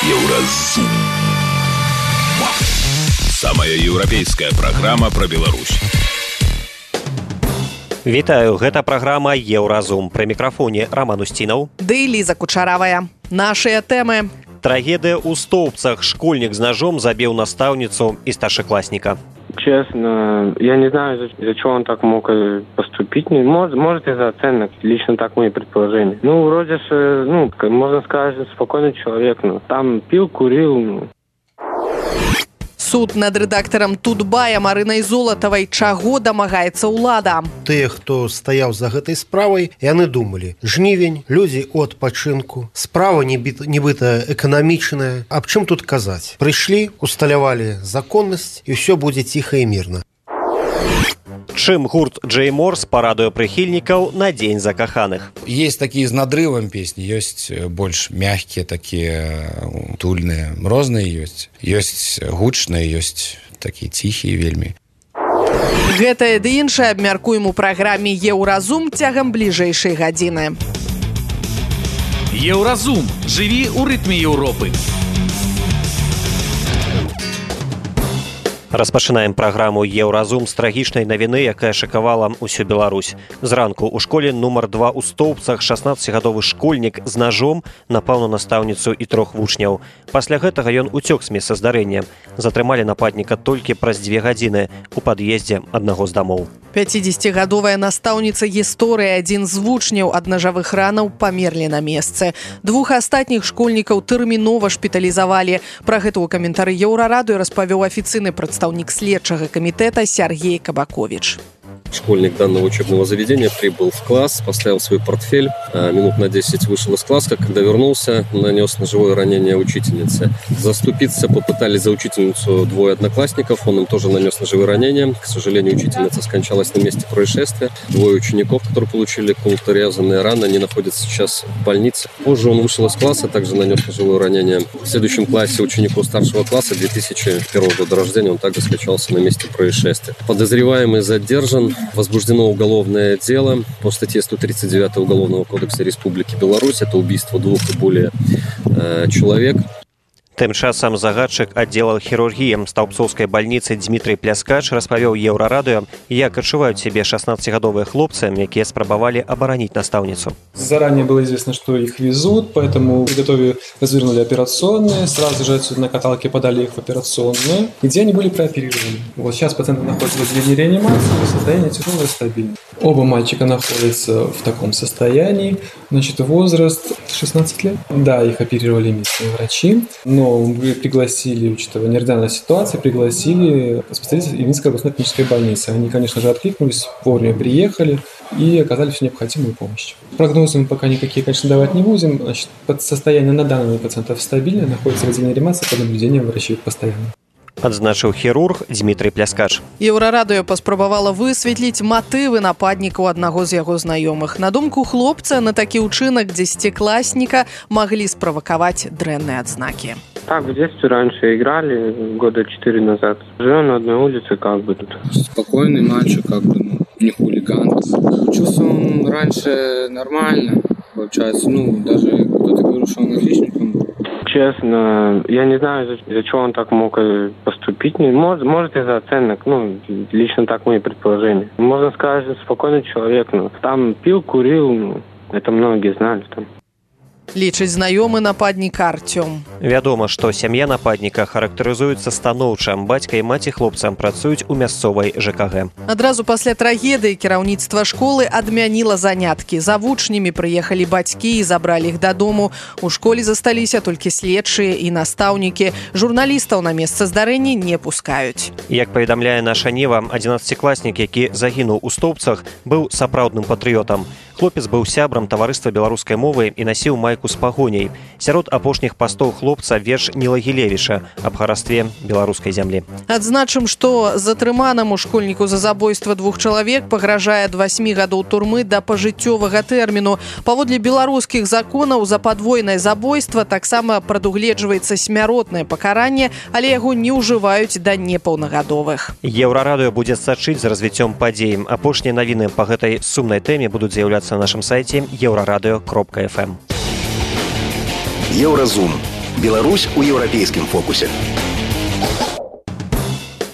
Еўразум. Самая еўрапейская праграма пра Беларусь. Вітаю, гэта праграма Еўразум. Пры мікрафоне Роман Устінаў. Ды Ліза Кучаравая. Нашыя тэмы. Трагедыя ў Стоўбцах. Школьнік з ножом забіў настаўніцу и старшеклассника. Честно, я не знаю, из-за чего он так мог поступить. Может из-за оценок. Лично так мои предположения. Вроде же, можно сказать, спокойный человек. Там пил, курил. Суд над рэдактарам Тутбая Марынай Золатавай. Чаго дамагаецца ўлада? Тыя, хто стаяў за гэтай справай, яны думалі: жнівень, людзі ў адпачынку, справа нібыта эканамічная. Аб чым тут казаць? Прыйшлі, усталявалі законнасць, і ўсё будзе ціха і мірна. Чым гурт Джей Морс парадуе прыхільнікаў на Дзень закаханых? Есть такие с надрывом песни, есть больше мягкие, такие утульные, розныя ёсць. Ёсць гучныя, ёсць такие тихие вельмі. Гэтае ды іншае абмяркуем у праграме Еўразум цягам бліжэйшай гадзіны. Еўразум. Жыві ў рытме Еўропы. Распачынаем праграму Еўразум з трагічнай навіны, якая шакавала ўсю Беларусь. Зранку ў школе нумар 2 ў Стоўбцах 16-гадовы школьнік з ножом напаў на настаўніцу і 3 вучняў. Пасля гэтага ён уцёк з месца здарэння. Затрымалі нападніка толькі праз 2 гадзіны у пад'ездзе аднаго з дамоў. 50-гадовая настаўніца гісторыі, адзін з вучняў ад нажавых ранаў памерлі на месцы. 2 астатніх школьнікаў тэрмінова шпіталізавалі. Пра гэта ў каментары Еўрарадыё распавёў афіцыйны прадстаўнік следчага камітэта Сергей Кабакович. Школьник данного учебного заведения прибыл в класс, поставил свой портфель, минут на 10 вышел из класса, когда вернулся, нанес ножевое ранение учительнице. Заступиться попытались за учительницу 2 одноклассников, он им тоже нанес ножевое ранение. К сожалению, учительница скончалась на месте происшествия. 2 учеников, которые получили колото-резанные раны, они находятся сейчас в больнице. Позже он вышел из класса, также нанес ножевое ранение. В следующем классе ученику старшего класса 2001 года рождения, он также скончался на месте происшествия. Подозреваемый задержан. Возбуждено уголовное дело по статье 139 Уголовного кодекса Республики Беларусь. Это убийство 2 и более человек. Тым часам загадчык аддзела хірургіі Стаўбцоўскай бальніцы Дмітрый Пляскач распавёў Еўрарадыё, як адчуваюць себе 16-гадовые хлопцы, якія спрабавалі абараніць настаўніцу. Заранее было известно, что их везут, поэтому приготовили, развернули операционные, сразу же отсюда на каталке подали их в операционную, где они были прооперированы. Сейчас пациенты находятся в отделении реанимации, состояние тяжелое, стабильное. Оба мальчика находятся в таком состоянии, возраст 16 лет. Да, их оперировали местные врачи, но мы пригласили, учитывая неординарную ситуацию, пригласили специалистов Ильинской областной клинической больницы. Они, конечно же, откликнулись, вовремя приехали и оказали всю необходимую помощь. Прогнозы мы пока никакие, конечно, давать не будем. Состояние на данный момент пациентов стабильное, находится в отделении реанимации под наблюдением врачей постоянно. Адзначыў хірург Дмітрый Пляскач. Еўрарадыё паспрабавала высветліць матывы нападнікаў аднаго з яго знаёмых. На думку хлопца, на такі ўчынак 10-класніка маглі справакаваць дрэнныя адзнакі. Так, в детстве раньше играли, года 4 назад. Живем на одной улице, тут. Спокойный мальчик, не хулиган. Учился он раньше нормально, получается, даже кто-то говорил, что он отличником был. Честно, я не знаю, из-за чего он так мог поступить. Может из-за оценок, лично так мои предположения. Можно сказать, спокойный человек, там пил, курил, это многие знали там. Лічыць знаёмы нападніка Артём. Вядома, што сям'я нападніка характарызуецца станоўча. Бацька і маці хлопцам працуюць у мясцовай ЖКГ. Адразу пасля трагедыі кіраўніцтва школы адмяніла заняткі. За вучнямі прыехалі бацькі і забралі іх дадому. У школе засталіся толькі следчыя і настаўнікі. Журналістаў на месца здарэння не пускаюць. Як паведамляе наша Нева, 11-класнік, які загінуў у Стоўбцах, быў сапраўдным патрыётам. Хлопец быў сябрам таварыства беларускай мовы і насіў майку з пагоняй. Сярод апошніх пастоў хлопца верш Ніла Гілевіча аб харастве беларускай зямлі. Адзначым, што затрыманаму школьніку за забойства 2 чалавек пагражае ад 8 гадоў турмы да пажыццёвага тэрміну. Паводле беларускіх законаў за падвойнае забойства таксама прадугледжваецца смяротнае пакаранне, але яго не ўжываюць да непаўнагадовых. Еўрарадыё будзе сачыць за развіццём падзей. Апошнія навіны па гэтай сумнай тэме будуць з'яўляцца на нашым сайце euraradыё.fm. Еўразум. Беларусь у еўрапейскім фокусе.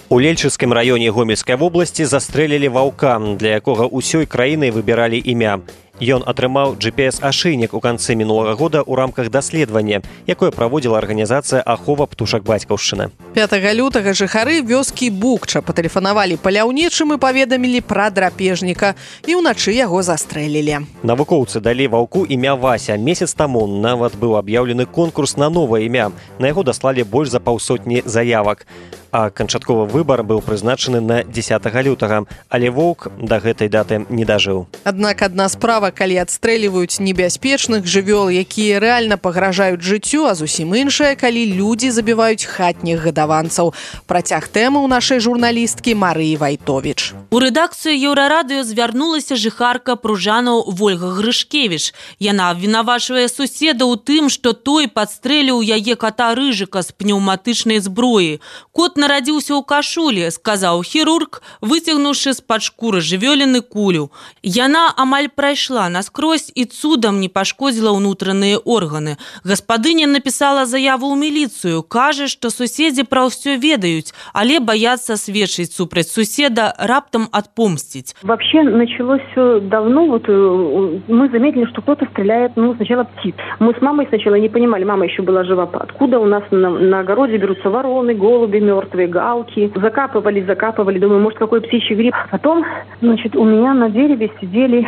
У Лельчыцкім раёне Гомельскай вобласці застрэлілі ваўка, для якога ўсёй краінай выбіралі імя. Ён атрымаў GPS-ашыйнік у канцы мінулага года ў рамках даследавання, якое праводзіла арганізацыя «Ахова птушак бацькаўшчыны». 5 лютага жыхары вёскі Букча патэлефанавалі паляўнічым і паведамілі пра драпежніка, і ўначы яго застрэлілі. Навукоўцы далі ваўку імя Вася. Месяц таму нават быў аб'яўлены конкурс на новае імя. На яго даслалі больш за 500 заявак. А канчатковы выбар быў прызначаны на 10 лютага, але воўк да гэтай даты не дажыў. Аднак адна справа, калі адстрэліваюць небяспечных жывёл, якія рэальна пагражаюць жыццю, а зусім іншая, калі людзі забіваюць хатніх гадаванцаў. Працяг тэмы ў нашай журналісткі Марыі Вайтовіч. У рэдакцыю Еўрарадыё звярнулася жыхарка Пружанаў Вольга Грышкевіч. Яна абвінавачвае суседа ў тым, што той падстрэліў яе кота Рыжыка з пнеўматычнай зброі. Кот нарадзіўся ў кашулі, сказаў хірург, выцягнуўшы з-пад шкуры жывёліны кулю. Яна амаль прайшла наскрозь і цудам не пашкодзіла ўнутраныя органы. Гаспадыня напісала заяву ў міліцыю, кажа, што суседзі пра ўсё ведаюць, але баяцца сведчыць супраць суседа, раптам отпомстить. Вообще началось все давно. Вот мы заметили, что кто-то стреляет, сначала птиц. Мы с мамой сначала не понимали, мама еще была жива. Откуда у нас на огороде берутся вороны, голуби мертвые, галки. Закапывали. Думаю, может, какой птичий гриб. Потом, у меня на дереве сидели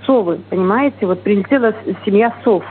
совы, понимаете? Вот прилетела семья сов.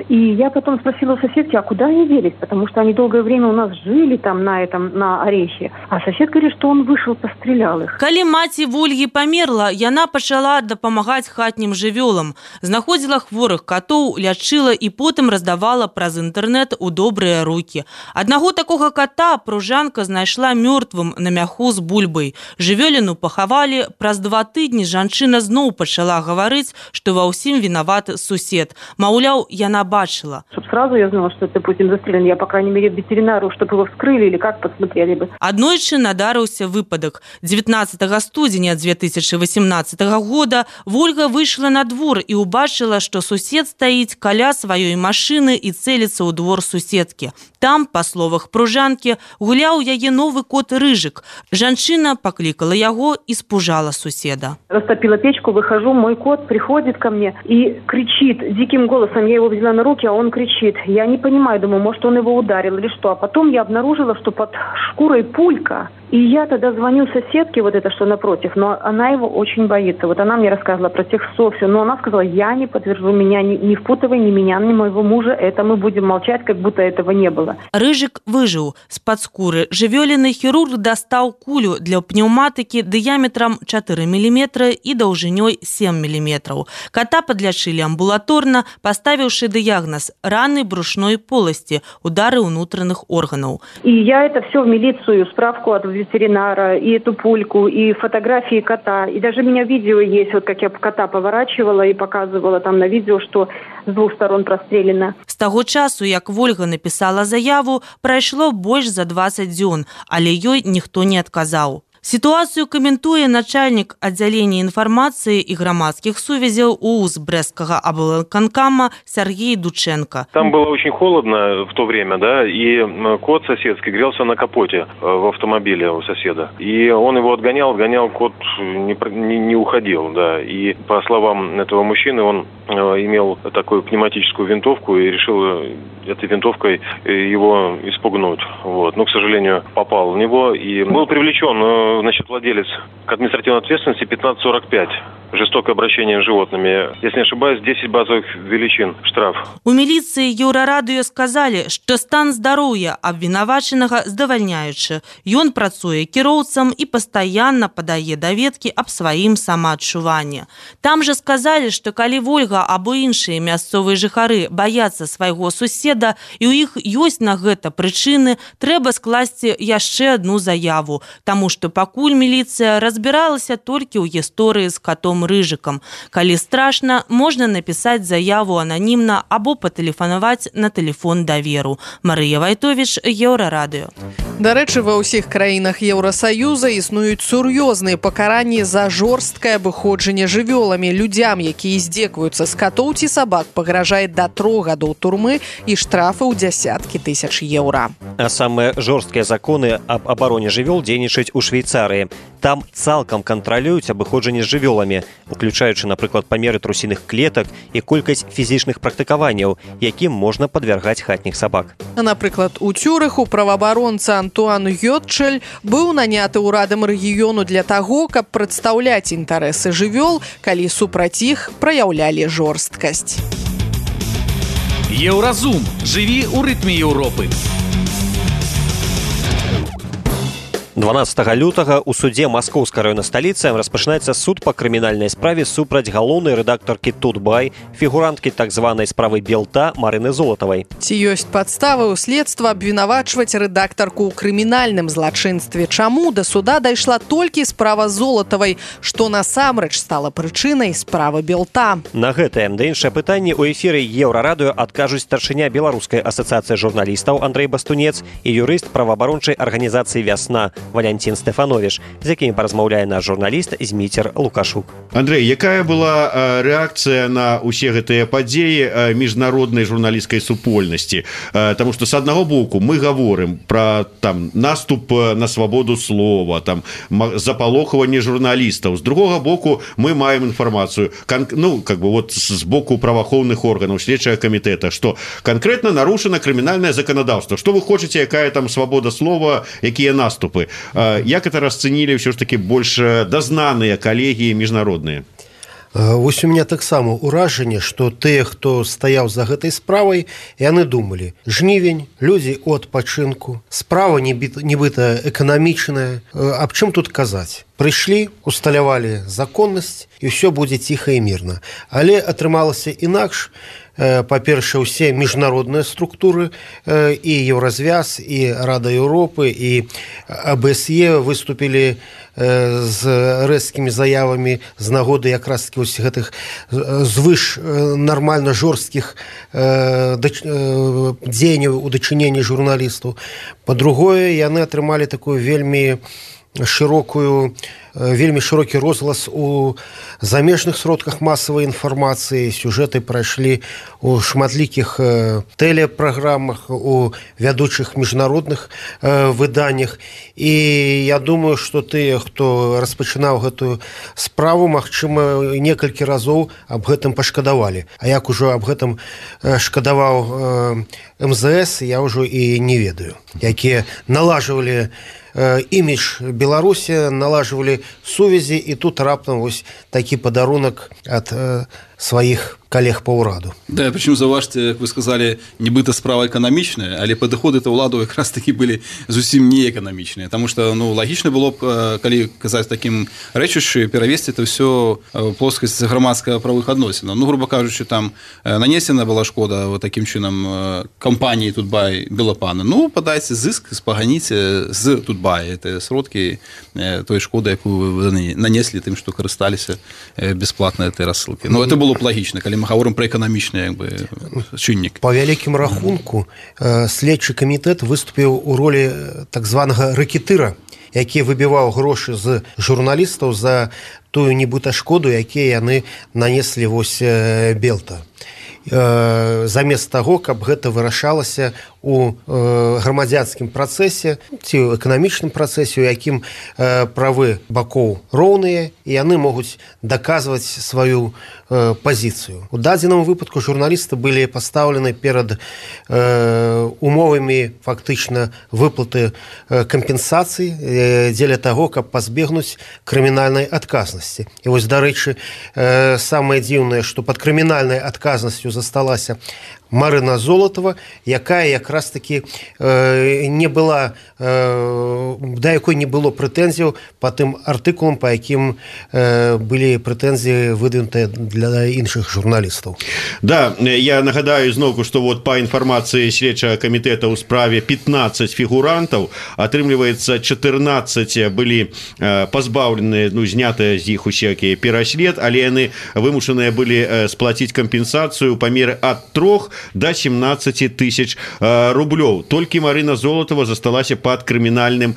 И я потом спросила у соседки, а куда они делись? Потому что они долгое время у нас жили там на Орехе. А сосед говорит, что он вышел, пострелял их. Калі маці Вольгі памерла, яна пачала дапамагаць хатнім жывёлам. Знаходзіла хворых катоў, лячыла і потым раздавала праз інтэрнэт у добрыя рукі. Аднаго такога кота пружанка знайшла мёртвым на мяху з бульбай. Жывёліну пахавалі, праз 2 тыдні жанчына зноў пачала гаварыць, што ва ўсім вінаваты сусед. Маўляў, яна бачила. Чтобы сразу я знала, что это, допустим, застрелен, я, по крайней мере, ветеринару, чтобы его вскрыли или как посмотрели бы. Аднойчы надарыўся выпадак. 19 студзеня 2018 года Вольга выйшла на двор і убачыла, што сусед стаіць каля сваёй машыны і цэліцца ў двор суседкі. Там, па словах пружанкі, гуляў яе новы кот Рыжык. Жанчына паклікала яго і спужала суседа. Растопила печку, выхожу, мой кот приходит ко мне и кричит диким голосом. Я его взяла на руки, а он кричит. Я не понимаю, думаю, может, он его ударил или что. А потом я обнаружила, что под шкурой пулька. И я тогда звоню соседке, вот это что напротив, но она его очень боится. Вот она мне рассказывала про тех сов, все. Но она сказала, я не подтвержу, меня не впутывай, ни меня, ни моего мужа. Это мы будем молчать, как будто этого не было. Рыжык выжыў. З-пад скуры жывёліны хірург дастаў кулю для пнеўматыкі дыяметрам 4 мм і даўжынёй 7 мм. Кота подлячылі амбулаторна, поставіўшы дыягназ раны брушной поласти, удары ўнутраных органаў. И я это все в милицию, справку от ветеринара, и эту пульку, и фотографии кота. И даже у меня видео есть, вот как я кота поворачивала и показывала там на видео, что с 2 сторон прострелено. З таго часу, як Вольга напісала заяву, прайшло больш за 20 дзён, але ёй ніхто не адказаў. Ситуацию комментуе начальник отделения информации и громадских сувязей УУЗ Брестского облвыканкама Сергей Дученко. Там было очень холодно в то время, да, и кот соседский грелся на капоте в автомобиле у соседа. И он его отгонял, кот не уходил, да. И по словам этого мужчины, он имел такую пневматическую винтовку и решил этой винтовкой его испугнуть. Вот. Но, к сожалению, попал в него и был привлечен, владелец к административной ответственности 1545. Жестокое обращение с животными. Если не ошибаюсь, 10 базовых величин штраф. У міліцыі Еўрарадыё сказалі, што стан здароўя абвінавачанага здавальняючы. Ён працуе кіроўцам і пастаянна падае даведкі аб сваім самаадчуванні. Там жа сказалі, што калі Вольга або іншыя мясцовыя жыхары баяцца свайго суседа і ў іх ёсць на гэта прычыны, трэба скласці яшчэ адну заяву, таму што пакуль міліцыя разбірае разбіралася толькі ў гісторыі з катом Рыжыкам. Калі страшна, можна напісаць заяву ананімна або патэлефанаваць на тэлефон даверу. Марыя Вайтовіч, Еўрарадыё. Дарэчы, ва ўсіх краінах Еўрасаюза існуюць сур'ёзныя пакаранні за жорсткае абыходжанне жывёламі. Людзям, якія здзекваюцца з катоў ці сабак, пагражае да 3 гадоў турмы і штрафы ў дзясяткі тысяч еўра. А самыя жорсткія законы аб абароне жывёл дзейнічаюць у Швейцарыі. Там цалкам кантралююць абыходжанне з жывёламі, уключаючы, напрыклад, памеры трусіных клетак і колькасць фізічных практыкаванняў, якім можна падвяргаць хатніх сабак. Напрыклад, у Цюрыху праваабаронца Антуан Гётчель быў наняты ўрадам рэгіёну для таго, каб прадстаўляць інтарэсы жывёл, калі супраць іх праяўлялі жорсткасць. Еўразум. Жыві ў рытме Еўропы. 12 лютага ў судзе Маскоўскай раённай сталіцы распачынаецца суд па крымінальнай справе супраць галоўнай рэдактаркі Тутбай, фігуранткі так званай справы Белта Марыны Золатавай. Ці ёсць падставы ў следства абвінавачваць рэдактарку ў крымінальным злачынстве? Чаму да суда дайшла толькі справа Золатавай, што насамрэч стала прычынай справы Белта? На гэтае да іншае пытанне ў эфіры Еўрарадыё адкажуць старшыня Беларускай асацыяцыі журналістаў Андрэй Бастунец і юрыст праваабарончай арганізацыі «Вясна» Валянцін Стэфановіч, з якімі паразмаўляе наш журналіст Зміцер Лукашук. Андрэй, якая была рэакцыя на ўсе гэтыя падзеі міжнароднай журналісцкай супольнасці? Таму што, з аднаго боку, мы гаворым пра наступ на свабоду слова, запалохванне журналістаў. З другога боку, мы маем інфармацыю з боку праваахоўных органаў, следчага камітэта, што канкрэтна нарушана крымінальнае заканадаўства. Што вы хочаце, якая там свабода слова, якія наступы? Як это расцэнілі ўсё ж такі больш дазнаныя калегі міжнародныя? Вось у меня таксама ўражанне, што тыя, хто стаяў за гэтай справай, яны думалі: жнівень, людзі ў адпачынку, справа нібыта эканамічная, аб чым тут казаць? Прыйшлі, усталявалі законнасць, і ўсё будзе ціха і мірна. Але атрымалася інакш. Па-першае, усе міжнародныя структуры, і Еўразвяз, і Рада Еўропы, і АБСЕ выступілі з рэзкімі заявамі з нагоды якраз такі вось гэтых звыш нармальна жорсткіх дзеянняў у дачыненні журналістаў. Па-другое, яны атрымалі такую вельмі шырокі розглас у замежных сродках масавай інфармацыі. Сюжэты прайшлі у шматлікіх тэлепраграмах, у вядучых міжнародных выданнях. І я думаю, што тыя, хто распачынаў гэтую справу, магчыма, некалькі разоў аб гэтым пашкадавалі. А як ужо аб гэтым шкадаваў МЗС, я ўжо і не ведаю, якія налажвалі імідж Беларусі, налажвалі сувязі, і тут раптам вось такі падарунак ад сваіх коллег по ўраду. Да, причем заўважце, як вы сказали, нібыта справа эканамічная, але падыходы то ўладу якраз такі былі зусім не эканамічныя, потому что лагічна было б, калі казаць такім рэчышчы, перавесці это все в плоскасць грамадска-правых адносінаў. Грубо кажучы, там нанесена была шкода вот таким чынам кампаніі Тутбай Белапана. Падайце зыск, спаганіце з Тутбай. Это сродкі той шкоды, якую вы нанеслі тым, што карысталіся бесплатна этой рассылкай. Это было б лагічна, калі мы гаворым пра эканамічны чыннік. Па вялікім рахунку следчы камітэт выступіў у ролі так званага рэкетыра, які выбіваў грошы з журналістаў за тую нібыта шкоду, якія яны нанеслі вось Белта. Замест таго, каб гэта вырашалася у грамадзянскім працэсе ці ў эканамічным працэсе, у якім правы бакоў роўныя, і яны могуць даказваць сваю пазіцыю. У дадзеным выпадку журналісты былі пастаўлены перад умовамі фактычна выплаты кампенсацый дзеля таго, каб пазбегнуць крымінальнай адказнасці. І вось, дарэчы, самае дзіўнае, што пад крымінальнай адказнасцю засталася Марына Золотова, якая якраз таки не была, да якой не было прэтэнзіяў по тым артыкулам, по якім былі прэтэнзіі выдвинутыя для іншых журналістаў. Да, я нагадаю зноўку, што вот по інфармацыі следчага камітэта ў справе 15 фігурантаў, атрымліваецца 14 былі пазбаўленыя, ну, знятыя з іх усякія пераслед, але яны вымушаныя былі сплаціць кампенсацыю па меры ад 3 до 17 тысяч рублёў. Толькі Марына Золотова засталася пад крымінальным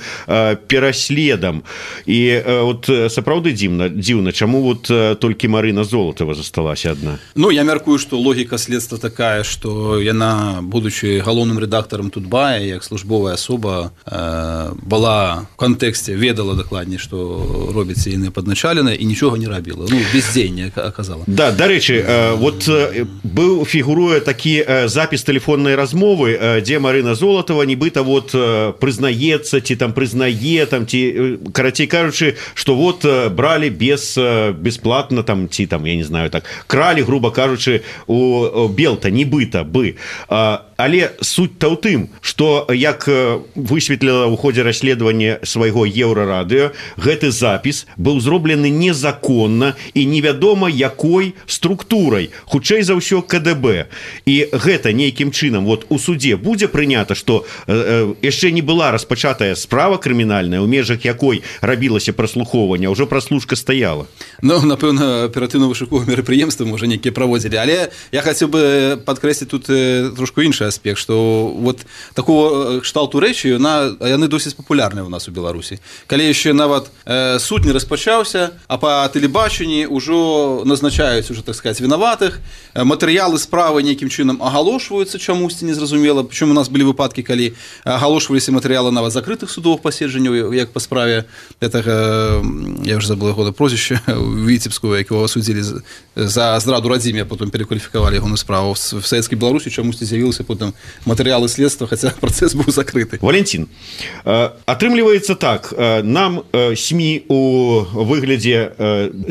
пераследам. І вот сапраўды дзіўна, чаму вот толькі Марына Золотова засталася адна? Ну, я мяркую, што логіка следства такая, што яна, будучы галоўным рэдактарам Тутбая, як службовая асоба, была в кантэксце, ведала дакладней, што робіцца яны падначаленыя і нічога не рабіла. Ну, бездзеянне аказала. Да, дарэчы, вот быў фігуруе такі запіс тэлефоннай размовы, дзе Марына Золотова нібыта вот прызнаецца, ці там прызнае, там, ці, карацей кажучы, што вот бралі бесплатна, там, ці там, я не знаю, так, кралі, грубо кажучы, у Белта, нібыта бы. Але суть-то ў тым, што, як высветліла ў ходзе расследавання свайго Еўрарадыё, гэты запіс быў зроблены незаконна і невядома якой структурай, хутчэй за ўсё КДБ. І гэта нейкім чынам вот у суде будзе прынята, што яшчэ не была распачатая справа крымінальная, у межах якой рабілася праслухоўванне, ўжо праслушка стаяла. Ну, напэўна, аператыўна-вышуковыя мерапрыемствы можа нейкія праводзілі, але я хацеў бы падкрэсліць тут трошку іншы аспект, што вот такого кшталту рэчы яны досыць папулярныя ў нас у Беларусі. Калі яшчэ нават суд не распачаўся, а па тэлебачанні ўжо назначаюць уже, так сказать, вінаватых, матэрыялы справы нейкім чынам агалошваюцца чамусьці незразумела, прычым у нас былі выпадкі, калі агалошваліся матэрыялы нават закрытых судовых паседжанняў, як па справе гэтага, я ўжо забыл яго прозвішча, Віцебскую, якого судзілі за здраду радзіме, а потым перакваліфікавалі яго на справу. В Савецкай Беларусі чамусьці з'явілася потым матэрыялы следства, хаця працэс быў закрыты. Валентин, атрымліваецца так, нам СМИ у выглядзе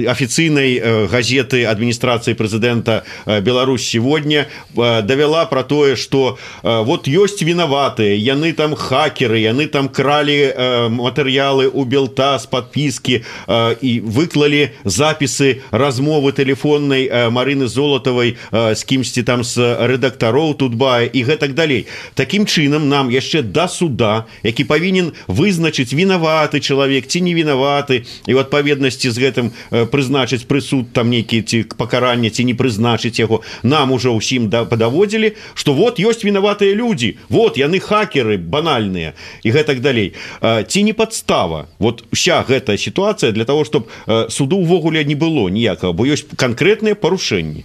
афіцыйнай газеты адміністрацыі прэзідэнта Беларусь сегодня давяла про тое, што вот ёсць вінаватыя, яны там хакеры, яны там кралі матэрыялы у Белта з падпіскі і выклалі запісы размовы тэлефоннай Марыны Золотавай з кімсьці там з рэдактароў Тутбая і гэтак далей. Такім чынам нам яшчэ да суда, які павінен вызначыць вінаваты чалавек ці не вінаваты, і ў адпаведнасці з гэтым прызначыць прысуд там нейкі ці пакаранне ці не прызначыць яго, нам ужо ўсім падаводзілі, што вот ёсць вінаватыя людзі, вот яны хакеры банальныя і гэтак далей. Ці не падстава вот уся гэтая сітуацыя для того, чтобы суду ўвогуле не было ніякага, бо ёсць канкрэтныя парушэнні.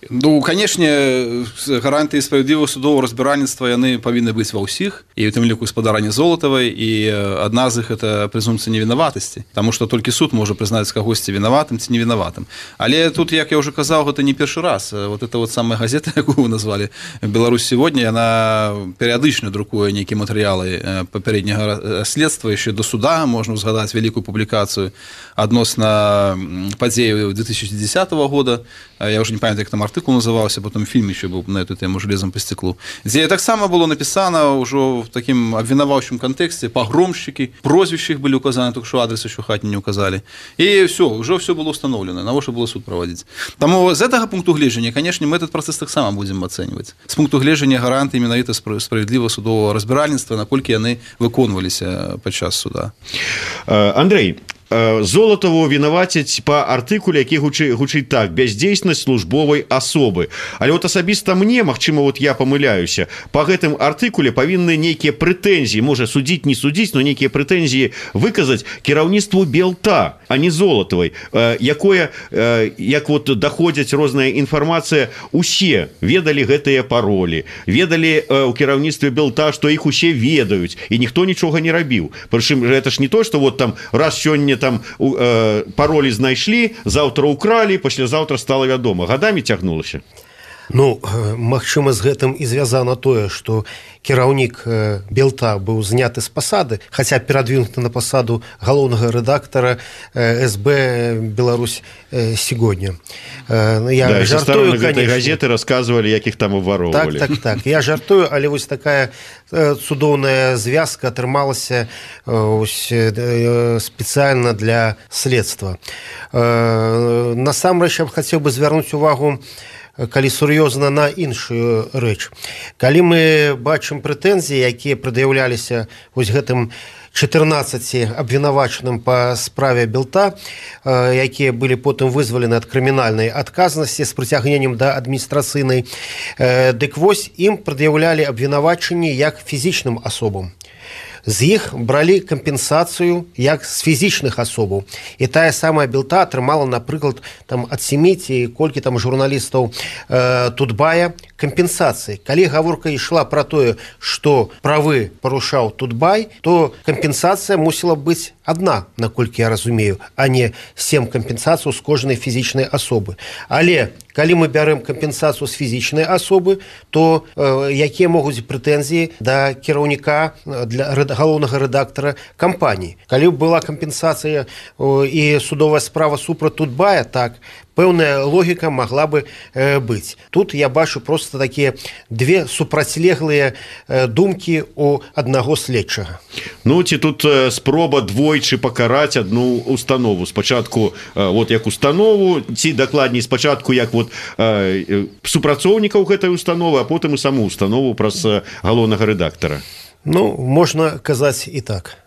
Ну, канешне, гарантыі справядлівага судовага разбіральніцтва яны павінны быць ва ўсіх, і ў тым ліку спадарні Золатавай, і адна з іх это прэзумпцыя невінаватасці, таму што толькі суд можа прызнаць кагосьці вінаватым ці невінаватым. Але тут, як я ўжо казаў, гэта не першы раз. Вот это вот самая газета, якую вы назвалі «Беларусь сегодня», яна перыядычна друкуе нейкія матэрыялы папярэдняга следства, яшчэ до суда можна ўзгадаць вялікую публікацыю адносна падзеяў 2010 года. Я уже не памятаю, як там артыкул называўся, потом фільм еще быў на эту тему «Железом по стеклу», дзе таксама было напісана ўжо в такім абвінаваўчым кантэксце, пагромшчыкі, прозвішчы іх былі указаны, толькі што адрес еще хатні не указалі. І все, ўжо все было установлено, навошта было суд праводзіць. Таму з гэтага пункту гледжання, канешне, мы этот працэс таксама будзем ацэньваць. З пункту гледжання гарантыі менавіта справядлівага судовага разбіральніцтва, наколькі яны выконваліся падчас суда. Андрей, Золотаву вінавацяць па артыкуле, які гучыць так: бяздзейснасць службовай асобы. Але вот асабіста мне, магчыма, вот я памыляюся, па гэтым артыкуле павінны нейкія прэтэнзіі, можа судзіць, не судзіць, но нейкія прэтэнзіі выказаць кіраўніцтву Белта, а не Золатавай, якое, як вот даходзяць розная інфармацыя, усе ведалі гэтыя паролі, ведалі ў кіраўніцтве Белта, што іх усе ведаюць, і ніхто нічога не рабіў. Прычым гэта ж не то, што вот там раз сёння там паролі знайшлі, заўтра укралі, паслязаўтра стала вядома. Гадамі цягнулася. Ну, магчыма, з гэтым і звязана тое, што кіраўнік Белта быў зняты з пасады, хаця перадвинуты на пасаду галоўнага рэдактара СБ «Беларусь сегодня». Я жартую, конечно. Газеты рассказывали, як іх там уворовывали. Так. Я жартую, але вось такая цудоўная звязка атрымалася спецыяльна для следства. Насамрэч, я б хацеў бы звярнуць увагу, калі сур'ёзна, на іншую рэч. Калі мы бачым прэтэнзіі, якія прад'яўляліся вось гэтым 14 абвінавачаным па справе Белта, якія былі потым вызвалены ад крымінальнай адказнасці з прыцягненнем да адміністрацыйнай, дык вось ім прад'яўлялі абвінавачанні як фізічным асобам. З іх бралі кампенсацыю як з фізічных асобаў. І тая самая Белта атрымала, напрыклад, ад 7 ці колькі там журналістаў Тутбая кампенсацыі. Калі гаворка ішла пра тое, што правы парушаў Тутбай, то кампенсацыя мусіла быць адна, наколькі я разумею, а не 7 кампенсацый з кожнай фізічнай асобы. Але калі мы бярем кампенсацыю з фізічнай асобы, то якія могуць прэтэнзіі да кіраўніка, для галоўнага рэдактара кампаніі? Калі была кампенсацыя і судовая справа супраць Тутбая, так, пэўная логіка магла бы быць. Тут я бачу проста такія две супрацьлеглыя думкі у аднаго следчага. Ну, ці тут спроба двойчы пакараць адну установу. Спачатку вот як установу, ці дакладней спачатку як вот супрацоўнікаў гэтай установы, а потым і саму установу праз галоўнага рэдактара. Ну, можна казаць і так.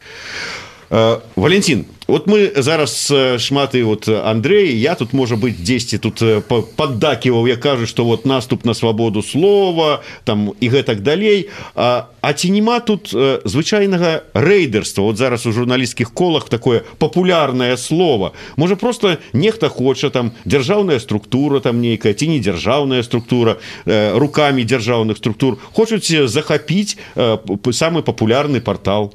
Валентин, вот мы зараз шмат і вот Андрей, я тут, можа быць, дзесьці тут паддаківаў, я кажу, што вот наступ на свабоду слова, там і гэтак далей. А ці нема тут звычайнага рэйдэрства? Вот зараз у журналісцкіх колах такое папулярнае слово. Можа, просто нехта хоча, там, дзяржаўная структура там нейкая, ці не дзяржаўная структура, рукамі дзяржаўных структур, хочуць захапіць самы папулярны партал.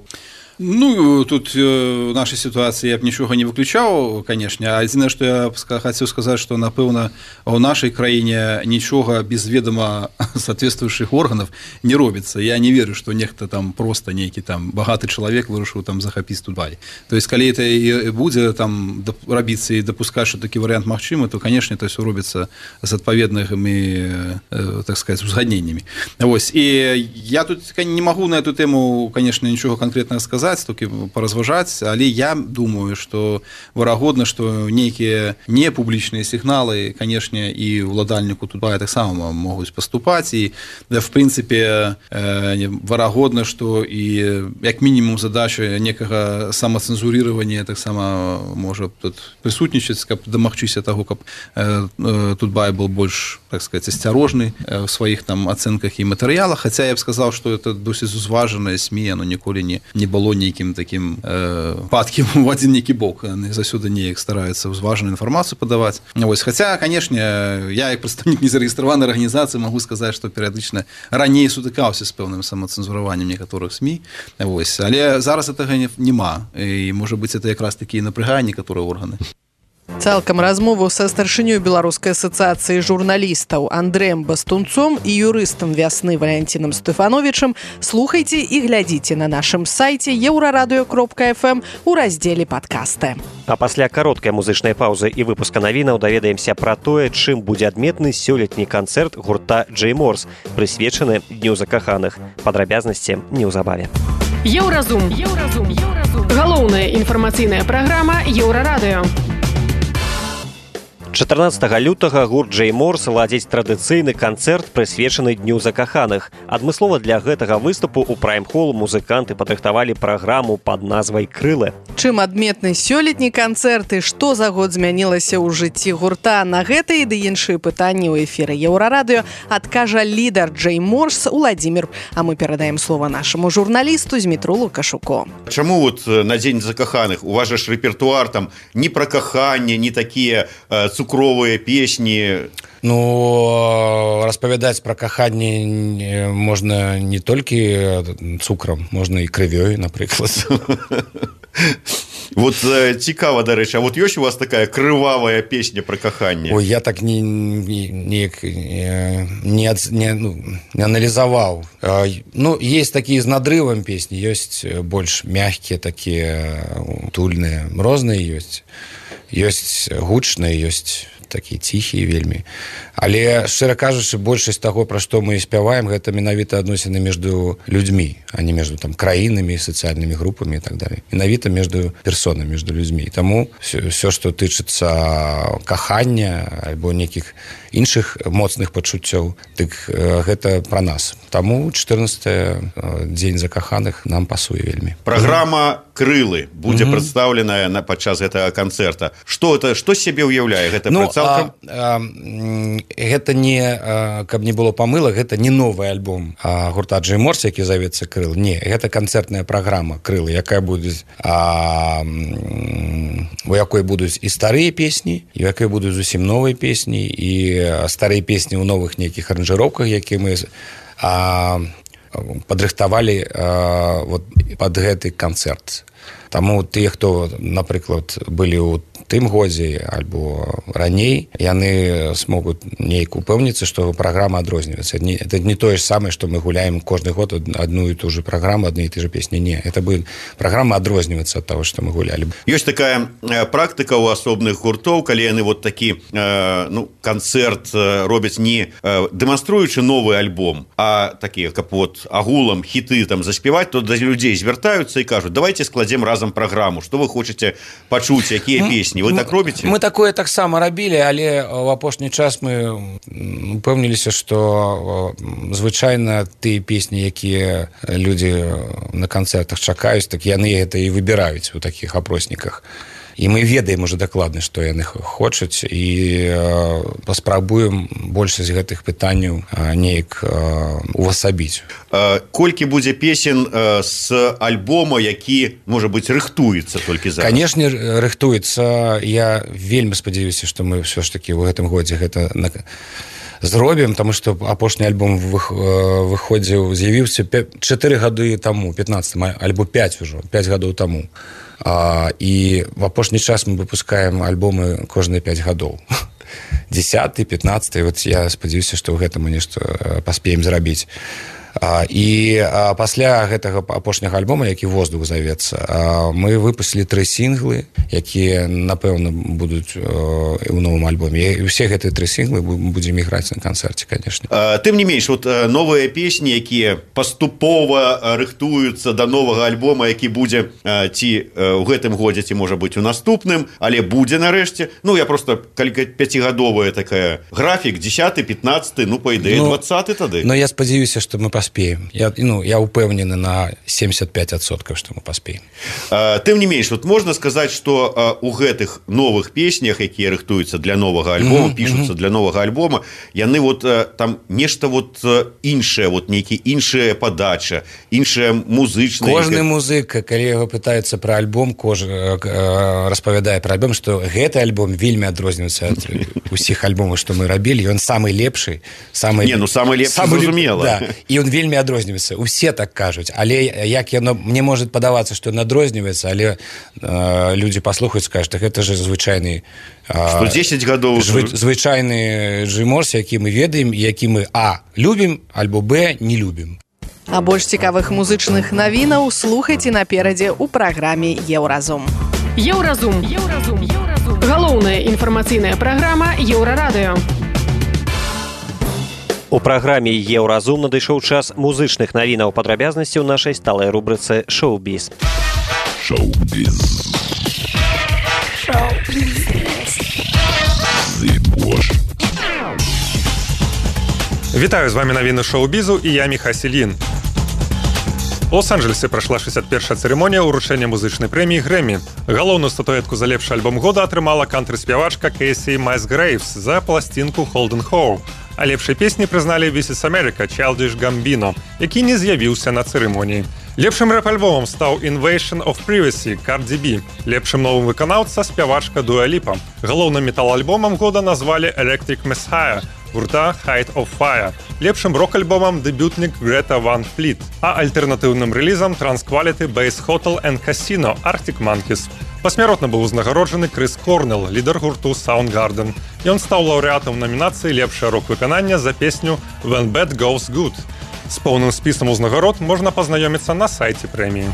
Ну, тут в нашей ситуации я б нічога не выключаў, конечно. Адзінае, што я хацеў сказаць, што, напэўна, у нашай краіне нічога без ведама соответствующих органов не робіцца. Я не верю, што нехта там просто нейкі там багаты чалавек вырашыў там захапіць Тутбай. То есть, калі это і будзе там рабіцца і дапускаць, што такі варыянт магчымы, то, конечно, это ўсё робіцца з адпаведнымі, так сказать, узгадненнямі. Вось. І я тут не магу на эту тэму, конечно, нічога канкрэтнага сказаць, толькі паразважаць, але я думаю, што верагодна, што нейкія непублічныя сігналы, канешне, і ўладальніку Тутбая таксама могуць паступаць, і в прынцыпе верагодна, што і як мінімум задача некага самацэнзурирования таксама можа тут прысутнічаць, каб дамагчыся таго, каб Тутбай был больш, так сказать, асцярожны в сваіх там ацэнках і матэрыялах, хаця я б сказаў, што это досыць узважанае СМІ, оно ніколі не было нейкім такім падкім у адзін нейкі бок. Яны заўсёды неяк стараюцца ўзважаную інфармацыю падаваць. Вось, хаця, канешне, я як прадстаўнік незарэгістраванай арганізацыі магу сказаць, што перыядычна раней сутыкаўся з пэўным самацэнзураваннем некаторых СМІ. Вось, але зараз гэтага няма. І, можа быць, это якраз такі напрягае некаторыя органы. Цалкам размову са старшынёй Беларускай асацыяцыі журналістаў Андрэем Бастунцом і юрыстам «Вясны» Валентинам Стефановичам слухайце і глядзіце на нашым сайце euradio.fm у раздзеле «Падкасты». А пасля кароткай музычнай паўзы і выпуска навінаў даведаемся пра тое, чым будзе адметны сёлетні канцэрт гурта Джей Морс, прысвечаны Дню закаханых. Падрабязнасці неўзабаве. Еўразум. Галоўная інфармацыйная праграма Еўрарадыё. 14 лютага гурт Джей Морс ладзіць традыцыйны канцэрт, прысвечаны Дню закаханых. Адмыслова для гэтага выступу ў прайм-холл музыканты падрыхтавалі праграму пад назвай «Крылы». Чым адметны сёлетні канцэрт і што за год змянілася ў жыцці гурта? На гэтыя ды іншыя пытанні ў эфіры Еўрарадыё адкажа лідар Джей Морс Уладзімір. А мы перадаем слова нашаму журналісту Змітру Лукашуку. Чаму вот на Дзень закаханых у вас же ж рэпертуар там не пра каханне, не такія цукровыя песні? Ну, распавядаць пра каханне можна не толькі цукрам, можна і крывёй, напрыклад. Вот цікава, дарэчы, а вот ёсць у вас такая крывавая песня про каханне? Ой, я так не анализовал. Ну, есть такие с надрывом песни, есть больше мягкие такие, утульные, розныя ёсць. Ёсць гучныя, ёсць такія ціхія вельмі. Але, шчыра кажучы, большасць таго, пра што мы спяваем, гэта менавіта адносіны между людзьмі, а не между там краінамі, сацыяльнымі групамі і так далее. Менавіта между персонамі, между людзьмі. Таму все, што тычыцца кахання альбо нейкіх іншых моцных пачуццёў, дык гэта пра нас. Таму 14 дзень закаханых нам пасуе вельмі. Праграма «Крылы» будзе прадстаўленая падчас гэтага канцэрта. Што сябе ўяўляе гэта цалкам? Гэта не, каб не было памылак, гэта не новы альбом гурта Джей Морс, які завецца «Крылы». Не, гэта канцэртная праграма «Крылы», якая будзе у якой будуць і старыя песні, і у якой будуць зусім новыя песні, і старыя песні ў новых нейкіх аранжыроўках, якія мы падрыхтавалі пад гэты канцэрт. Таму тыя, хто, напрыклад, былі ў тым годзе альбо раней, яны смогуць нейк упэўніцца, што праграма адрозніваецца. Это не тое ж самае, што мы гуляем кожны год адну і ту же праграму, адны і ты же песні. Не, это будет праграма адрознівацца ад таго, што мы гулялі. Ёсць такая практыка ў асобных гуртоў, калі яны вот такі канцэрт робяць не дэманструючы новы альбом, а такі, каб вот агулам хіты там заспяваць, то да людзей звяртаюцца і кажуць: давайте складзем разам праграму, што вы хочаце пачуць, якія песні. Вы так робіце? Мы такое таксама рабілі, але ў апошні час мы упэўніліся, што звычайна тыя песні, якія людзі на канцэртах чакаюць, так яны гэта і выбіраюць у такіх опросніках. І мы ведаем уже дакладна, што яны хочуць, і паспрабуем большасць гэтых пытанняў неяк увасабіць. Колькі будзе песен з альбома, які, можа быць, рыхтуецца толькі зараз? Канешне, рыхтуецца. Я вельмі спадзяюся, што мы ўсё ж такі ў гэтым годзе гэта зробім, таму што апошні альбом з'явіўся 4 гады таму, 15 альбо 5 ўжо, 5 гадоў таму. І в апошні час мы выпускаем альбомы кожныя 5 гадоў. 10, 15, вот я спадзяюся, што гэта мы нешта паспеем зрабіць. І пасля гэтага апошняга альбома, які «Воздух» завецца, мы выпусцілі 3 сінглы, якія, напэўна, будуць у новым альбоме. І ўсе гэтыя 3 сінглы будзем іграць на канцэрце, конечно. Тым не менш, вот новыя песні, якія паступова рыхтуюцца да новага альбома, які будзе ці ў гэтым годзе, ці, можа быць, у наступным, але будзе нарэшце. Ну, я просто, калі 5гадовая такая графік, 10, 15, ну, па ідэі, 20 тады. Но я спадзяюся, што мы паспеем. Я упэўнены на 75%, што мы паспеем. Тым не менш, вот можна сказаць, што у гэтых новых песнях, якія рыхтуюцца для новага альбома, пішуцца для новага альбома, яны вот там нешта вот іншае, вот нейкі іншая падача, іншая музычная. Кожны музыка, калі яго пытаецца пра альбом, распавядае пра альбом, што гэты альбом вельмі адрозніваецца ад усіх альбомаў, што мы рабілі. Ён самы лепшы, самы лепшы, зразумела. І ён вельмі адрозніваецца. Усе так кажуць. Але як яно, мне можа падавацца, што ён адрозніваецца, але людзі паслухаюць, скажуць, так гэта же звычайны... Што 10 гадоў... Звычайны Джей Морс, які мы ведаем, які мы любім, альбо не любім. А больш цікавых музычных навінаў слухайце наперадзе ў праграме «Еўразум». Еўразум. Галоўная інфармацыйная праграма «Еўрарадыё». У праграме «Еўразум» надышоў час музычных навінаў, падрабязнасці ў нашай сталай рубрыцы «Шоу-біз». Вітаю, з вами навіны шоу-бізу і я Міха Селін. У Лос-Анджелесе прайшла 61-ша цырымонія ўручэння музычнай прэміі «Грэмі». Галоўную статуэтку за лепшы альбом года атрымала кантры-спявачка Кейсі Масгрэйвс за пласцінку «Холден Хоу». А лепшай песні прызналі «This is America» Childish Gambino, які не з'явіўся на цырымоніі. Лепшым рэп-альбомам стаў «Invasion of Privacy» Cardi B. Лепшым новым выканаўца спявачка Дуа Ліпа. Галоўным метал-альбомам года назвалі «Electric Messiah» гурта Height of Fire, лепшым рок-альбомам дэбютнік Greta Van Fleet, а альтэрнатыўным рэлізам Trans-Quality Base Hotel and Casino Arctic Monkeys. Пасмяротна быў узнагароджаны Крыс Корнелл, лідар гурту Soundgarden. Ён стаў лаўрэатам намінацыі «Лепшае рок-выкананне» за песню «When Bad Goes Good». З поўным спісам узнагарод можна пазнаёміцца на сайце прэміі.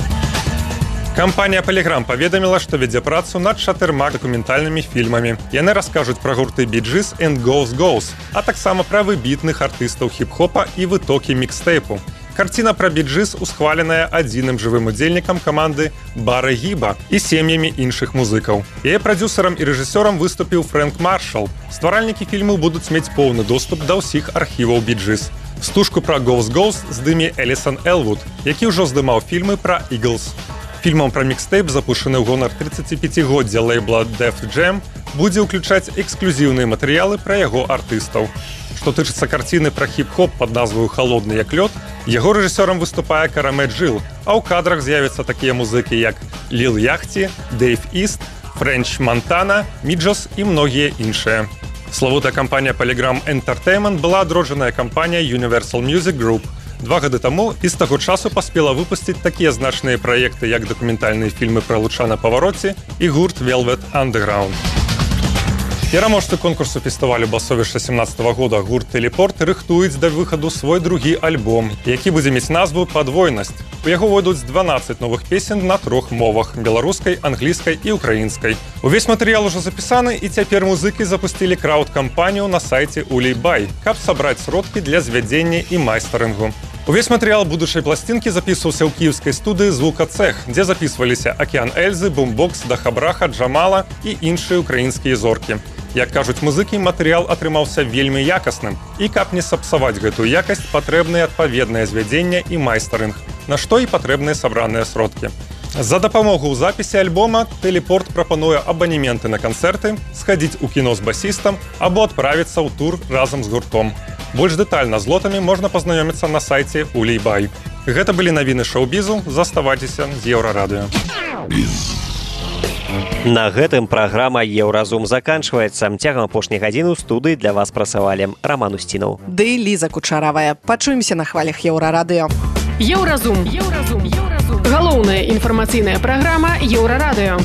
Кампанія Polygram паведаміла, што вядзе працу над 4 дакументальнымі фільмамі. Яны раскажуць пра гурты Bee Gees and Goes Goes, а таксама пра выбітных артыстаў хіп-хопа і вытокі мікстэйпу. Карціна пра Bee Gees усхваленая адзіным жывым удзельнікам каманды Бара Гіба і сем'ямі іншых музыкаў. Яе прадзюсарам і рэжысёрам выступіў Фрэнк Маршал. Стваральнікі фільму будуць мець поўны доступ да ўсіх архіваў Bee Gees. Стужку пра Goes Goes здыме Элісан Элвуд, які ўжо здымаў фільмы пра Eagles. Фільмам пра мікстэйп, запушаны ў гонар 35-годдзя лейбла Def Jam, будзе ўключаць эксклюзіўныя матэрыялы пра яго артыстаў. Што тычыцца карціны пра хіп-хоп пад назваю «Халодны як лёд», яго рэжысёрам выступае Караме Джил, а ў кадрах з'явяцца такія музыкі, як Лил Яхти, Дэйв Іст, Френч Монтана, Міджос і многія іншыя. Славутая кампанія Polygram Entertainment была адроджаная кампанія Universal Music Group. 2 гады таму і з таго часу паспела выпусціць такія значныя праекты, як дакументальныя фільмы пра Луча на павароце і гурт Velvet Underground. Пераможцы конкурсу фестывалю Басовішча 17-го года гурт «Телепорт» рыхтуюць да выхаду свой другі альбом, які будзе мець назву «Падвойнасць». У яго войдуць 12 новых песен на 3 мовах – беларускай, англійскай і украінскай. Увесь матэрыял ужо запісаны, і цяпер музыкі запусцілі крауд-кампанію на сайце Улей-Бай, каб сабраць сродкі для звядзення і майстарынгу. Увесь матэрыял будучай пласцінкі запісваўся ў кіеўскай студыі «Звукацех», дзе запісваліся Акіян Эльзы, Бумбокс, Дахабраха, Джамала і іншыя украінскія зоркі. Як кажуць музыкі, матэрыял атрымаўся вельмі якасным. І каб не сапсаваць гэтую якасць, патрэбнае адпаведнае звядзенне і майстарынг, на што і патрэбныя сабраныя сродкі. За дапамогу ў запісе альбома «Телепорт» прапануе абанементы на канцэрты, схадзіць у кіно з басістам або адправіцца ў тур разам з гуртом. Больш дэтальна з лотамі можна пазнаёміцца на сайце Улей-Бай. Гэта былі навіны шоу-бізу. Заставайцеся з Еўрарадыё. На гэтым праграма «Еўразум» заканчваецца. Цягам апошняй гадзіны ў студыі для вас працавалі Раман Устінаў ды Ліза Кучаравая. Пачуемся на хвалях Еўрарадыё. Еўразум. Галоўная інфармацыйная праграма Еўрарадыё.